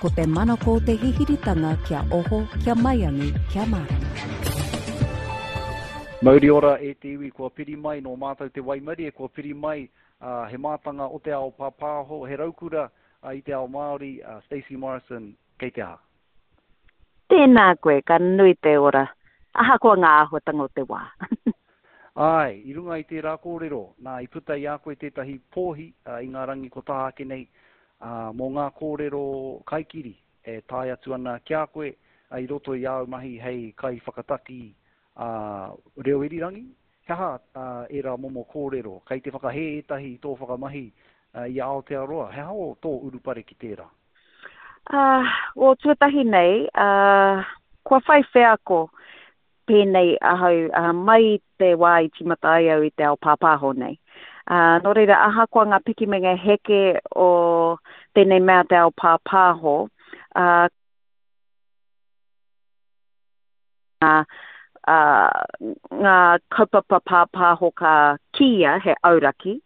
Ko te manako o te hihiritanga kia oho, kia maiangi, kia mārama. Mauri ora e te iwi kua piri mai, nō mātou te waimarie kua piri mai, he mātanga o te ao pāpāho, he raukura i te ao Māori, Stacey Morrison, kei te aha? Tēnā koe, ka nui te ora, ahakoa ngā āhuatanga o te wā. Āe, i runga i tērā kōrero, nā, i puta i a koe tētahi pōhi i ngā rangi kua taha ake nei, ā, mō ngā kōrero kaikiri e tae atu ana ki a koe i roto i āu mahi hei kaiwhakataki reo irirangi. He aha ērā momo kōrero? Kei te whakahē ētahi i tō whakamahi i a Aotearoa. He aha tō urupare ki tērā? Ā, o tuatahi nei, ā, kua whai wheako pēnei ahau ā, mai i te wā i tīmata ai au i te ao pāpāho nei. Ā, nō reira, ahakoa ngā piki me ngā heke o tēnei mea te ao pāpāho, ā, ngā, ā, ngā kaupapa pāpāho ka kīia he auraki,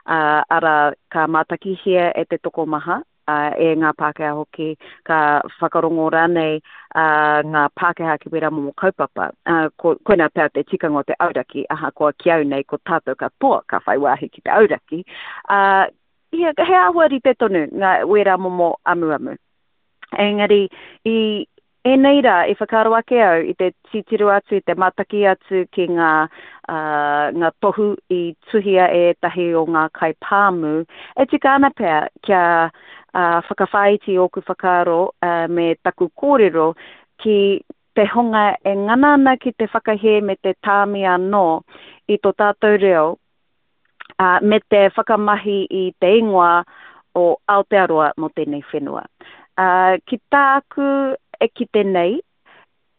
ā, arā, ka mātakihia e te tokomaha, ā, e ngā Pākehā hoki, ka whakarongo rānei ā, ngā Pākehā ki wērā momo kaupapa. Ā, ko, koinā pea te tikanga o te auraki, ahakoa ki au nei ko tātou katoa ka whai wāhi ki te auraki, ā, ia, he āhua rite tonu ngā, wērā momo amuamu. Engari, i ēnei rā, i whakaaro ake au i te titiro atu, i te mātaki atu ki ngā, ā, ngā tohu i tuhia e ētahi o ngā kaipāmu, e tika ana pea kia, ā, whakawhāiti ōku whakaaro, ā, me taku kōrero ki te hunga e ngana ana ki te whakahē me te tāmi anō i tō tātou reo, ā, me te whakamahi i te ingoa o Aotearoa mō tēnei whenua. Ā, ki tāku e kite nei,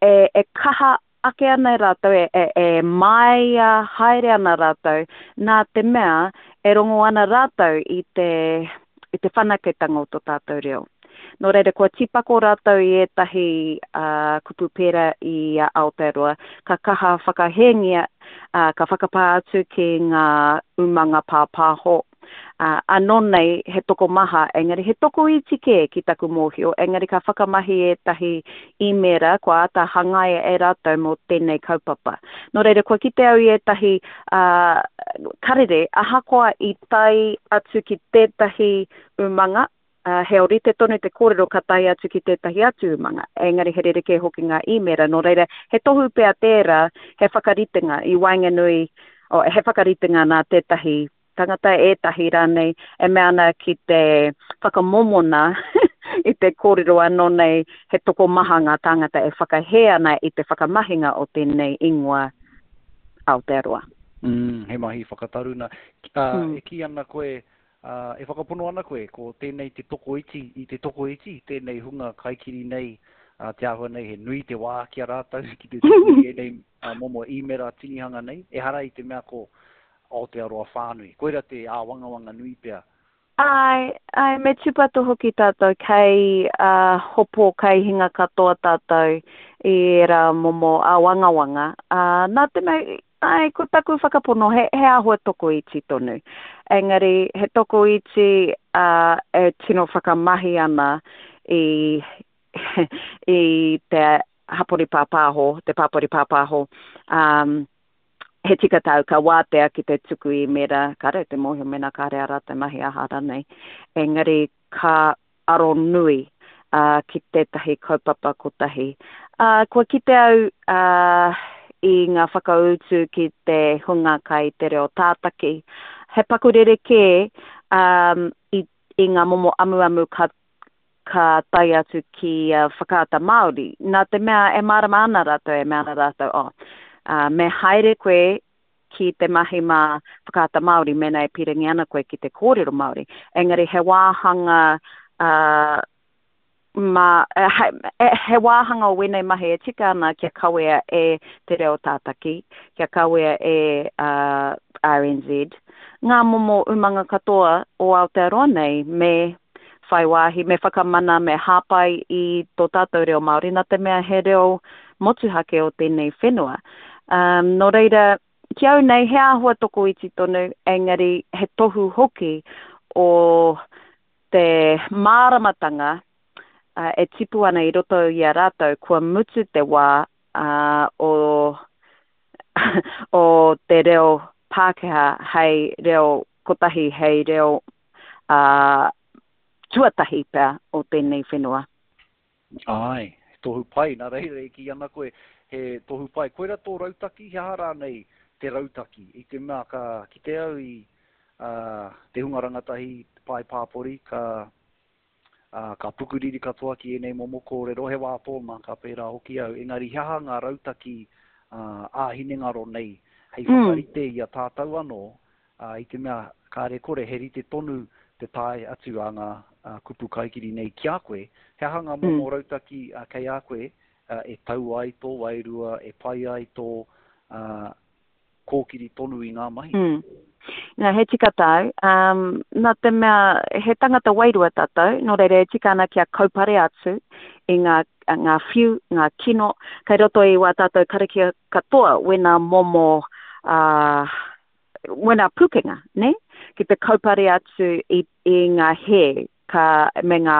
e, e kaha ake ana rātou, e, e, e māia haere ana rātou, nā te mea e rongo ana rātou i te, i te whanaketanga o tō tātou reo. Nō reira, kua tīpako rātou i ētahi kupu pērā i a Aotearoa, ka kaha whakahēngia, ka whakapā atu ki ngā umanga pāpāho, anō nei he tokomaha, engari he tokoiti kē ki taku mōhio, engari ka whakamahi ētahi īmēra kua āta hangaia e rātou mō tēnei kaupapa. Nō reira, kua kite au i ētahi karere, ahakoa i tae atu ki tētahi umanga, ā, he ōrite tonu te kōrero ka tae atu ki tētahi atu umanga, engari he rerekē hoki ngā īmēra, nō reira, he tohu pea tērā, he whakaritenga i waenganui, oh, he whakaritenga nā tētahi tangata, ētahi rānei, e mea ana ki te whakamōmona i te kōrero anō nei he tokomaha ngā tāngata e whakahē ana i te whakamahinga o tēnei ingoa Aotearoa. Mm, he mahi whakataruna. Ā, e kī ana koe, Ā, e whakapono ana koe, ko tēnei te tokoiti i te tokoiti, tēnei hunga kaikiri nei, ā, te āhua nei he nui te wā ki a rātou ki te tuku i ēnei momo īmera tinihanga nei, ehara i te mea ko Aotearoa whānui. Koira te āwangawanga nui pea. Āe, āe, me tūpato hoki tātou kei hopo, kei hinga katoa tātou i ērā momo āwangawanga, ā, nā te mea Āe, ko taku whakapono he, he āhua tokoiti tonu. Engari, he tokoiti ā, e tino whakamahi ana i, i te hapori pāpāho, te pāpori pāpāho, ā, he tika tāu ka wātea ki te tuku īmēra, kāre te mōhio mēnā kāre ā rātou mahi aha rānei. Engari, ka aro nui ki tētahi kaupapa kotahi. Kua kite au i ngā whakautu ki te hunga kai te reo tātaki, he paku rerekē i ngā momo amuamu ka ka tae atu ki Whakaata Māori, nā te mea e mārama ana rātou, e mea ana rātou, oh, me haere koe ki te mahi mā Whakaata Māori mēnā e pīrangi ana koe ki te kōrero Māori. Engari he wāhanga uh, mā, he, he wāhanga o wēnei mahi e tika ana kia kawea e te reo tātaki, kia kawea e uh, RNZ, ngā momo umanga katoa o Aotearoa nei me whai wāhi, me whakamana, me hāpai i tō tātou reo Māori, nā te mea he reo motuhake o tēnei whenua. Um, nō reira, ki au nei, he āhua tokoiti tonu, engari he tohu hoki o te māramatanga e tipu ana i roto i a rātou kua mutu te wā o o te reo Pākehā hei reo kotahi, hei reo tuatahi pea o tēnei whenua. Āe, he tohu pai, nā reira e kī ana koe, he tohu pai. Koira tō rautaki, he aha rānei te rautaki? I te mea ka kite au i te hunga rangatahi, te pae pāpori, ka, ka pukuriri katoa ki ēnei momo kōrero, he wā tōna ka pērā hoki au, engari he aha ngā rautaki ā-hinengaro nei hei whakarite i a tātou anō, i te mea kāre kore he rite tonu te tae atu a ngā kupu kaikiri nei ki a koe, he aha ngā momo rautaki kei a koe e tau ai tō wairua, e pai ai tō kōkiri tonu i ngā mahi? Nā, he tika tāu. Nā te mea he tangata wairua tātou, nō reira e tika ana kia kaupare atu i ngā, ngā whiu, ngā kino, kei roto i wā tātou karakia katoa wēnā momo, uh, wēnā pūkenga, nē? Ki te kaupare atu i, i ngā hē ka, me ngā,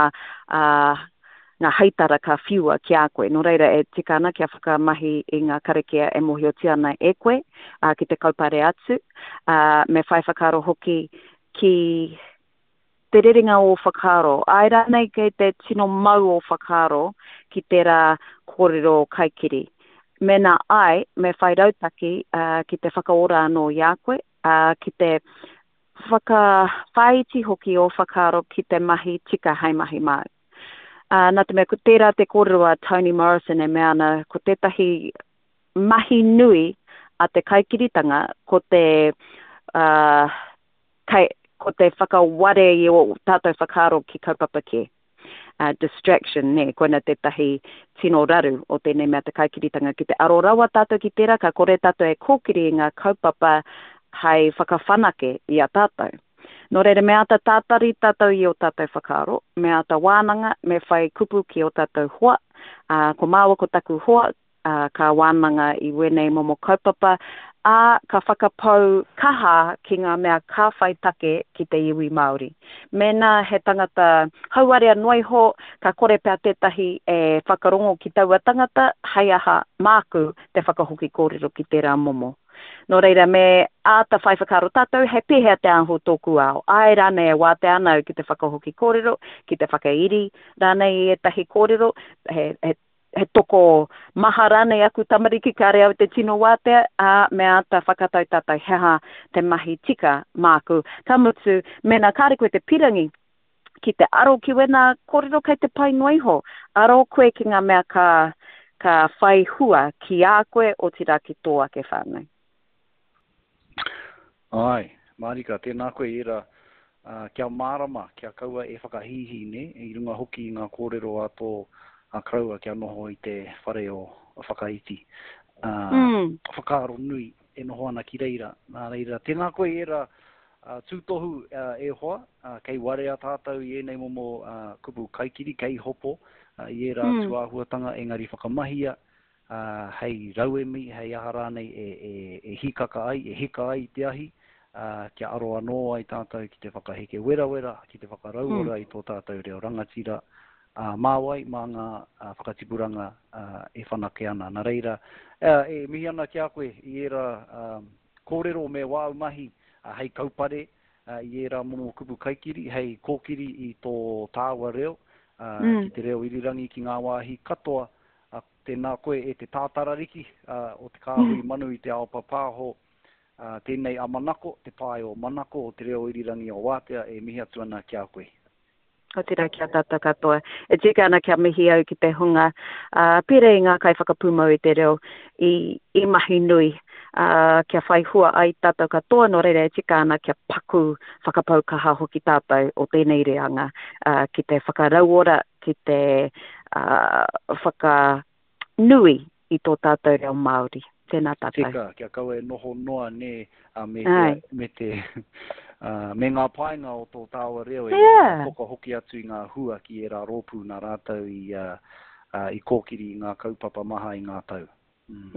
uh, ngā heitara ka whiua ki a koe. Nō reira, e tika ana kia whakamahi i ngā karakia e mōhiotia ana e koe, ā, ki te kaupare atu, ā, me whai whakaaro hoki ki te rerenga o ō whakaaro. Āe rānei kei te tino mau ō whakaaro ki tērā kōrero kaikiri. Mēnā āe, me whai rautaki, ā, ki te whakaora anō i a koe, ā, ki te whakawhāiti hoki ō whakaaro ki te mahi tika hei mahi māu. Ā, nā te mea ko tērā te kōrero a Toni Morrison e mea ana ko tētahi mahi nui a te kaikiritanga ko te, ā, kai, ko te whakaware i ō tātou whakaaro ki kaupapa kē. Distraction, nē, koina tētahi tino raru o tēnei mea te kaikiritanga. Ki te aro rawa tātou ki tērā, ka kore tātou e kōkiri i ngā kaupapa hai whakawhanake i a tātou. Nō reira, me āta tātari tātou i ō tātou whakaaro, me āta wānanga, me whai kupu ki ō tātou hoa, ā, ko māua ko taku hoa, ā, ka wānanga i wēnei momo kaupapa, ā, ka whakapau kaha ki ngā mea ka whai take ki te iwi Māori. Mēnā he tangata hauarea noa iho, ka kore pea tētahi e whakarongo ki taua tangata, hei aha māku te whakahoki kōrero ki tērā momo. Nō reira, me āta whai whakaaro tātou, he pēhea te āhua o tōku ao? Āe rānei e wātea ana au ki te whakahoki kōrero, ki te whakairi rānei i ētahi kōrero, he, he he toko maha rānei aku tamariki kāre au te tino wātea, ā, me āta whakatau tātou he aha te mahi tika māku. Ka mutu, mēnā kāre koe te pirangi ki te aro ki wēnā kōrero kei te pai noa iho, aro koe ki ngā mea ka, ka whai hua ki a koe, otirā ki tō ake whānau. Āe, mārika, tēnā koe i ērā, ā, kia mārama, kia kaua e whakahīhī, nē, i runga hoki i ngā kōrero a tō koroua kia noho i te whare o Whakaiti. Ā, whakaaro nui e noho ana ki reira. Nā reira, tēnā koe i ērā tūtohu e hoa, kei warea tātou i ēnei momo kupu kaikiri, kei hopo i ērā tūāhuatanga, engari whakamahia ā, hei rauemi, hei aha rānei e, e, e hīkaka ai, e hika ai i te ahi, ā, kia aro anō ai tātou ki te whakaheke werawera, ki te whakarauora i tō tātou reo rangatira, ā, mā wai, mā ngā whakatipuranga, ā, e whanake ana. Nā reira, ā, e mihi ana ki a koe i ērā, ā, kōrero me wāu mahi, ā, hei kaupare, ā, i ērā momo kupu kaikiri, hei kōkiri i tō tāua reo, ā, ki te reo irirangi ki ngā wāhi katoa, Ā, tēnā koe e te tātarariki o te kāhui manu i te ao papāho, ā, tēnei a Manako, te pae o Manako o te reo irirangi o Wātea e mihi atu ana ki a koe. Otirā ki a tātou katoa. E tika ana kia mihi au ki te hunga, ā, pērā i ngā kaiwhakapūmau i te reo, i, i mahi nui, ā, kia whai hua ai tātou katoa, nō reira e tika ana kia paku whakapau kaha hoki tātou o tēnei reanga, ā, ki te whakarauora, ki te whakanui i tō tātou reo Māori. Tēnā tātou. Tika, kia kaua e noho noa nē, a, me te, me te, a, me ngā painga o tō tāua reo e yeah. whakahoki atu i ngā hua ki ērā rōpū nā rātou i, a, i kōkiri i ngā kaupapa maha i ngā tau.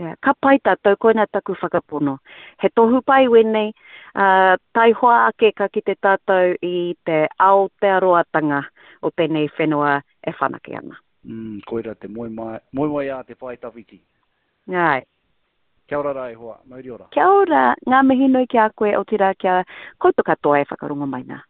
Yeah, ka pai tātou, koina taku whakapono. He tohu pai wēnei, ā, taihoa ake ka kite tātou i te Aotearoatanga o tēnei whenua e whanake ana. Mm, koira te moemoeā te pae tawhiti. Āe. Kia ora rā e hoa, mauri ora. Kia ora, ngā mihi nui ki a koe, otirā kia koutou katoa e whakarongo mai nā.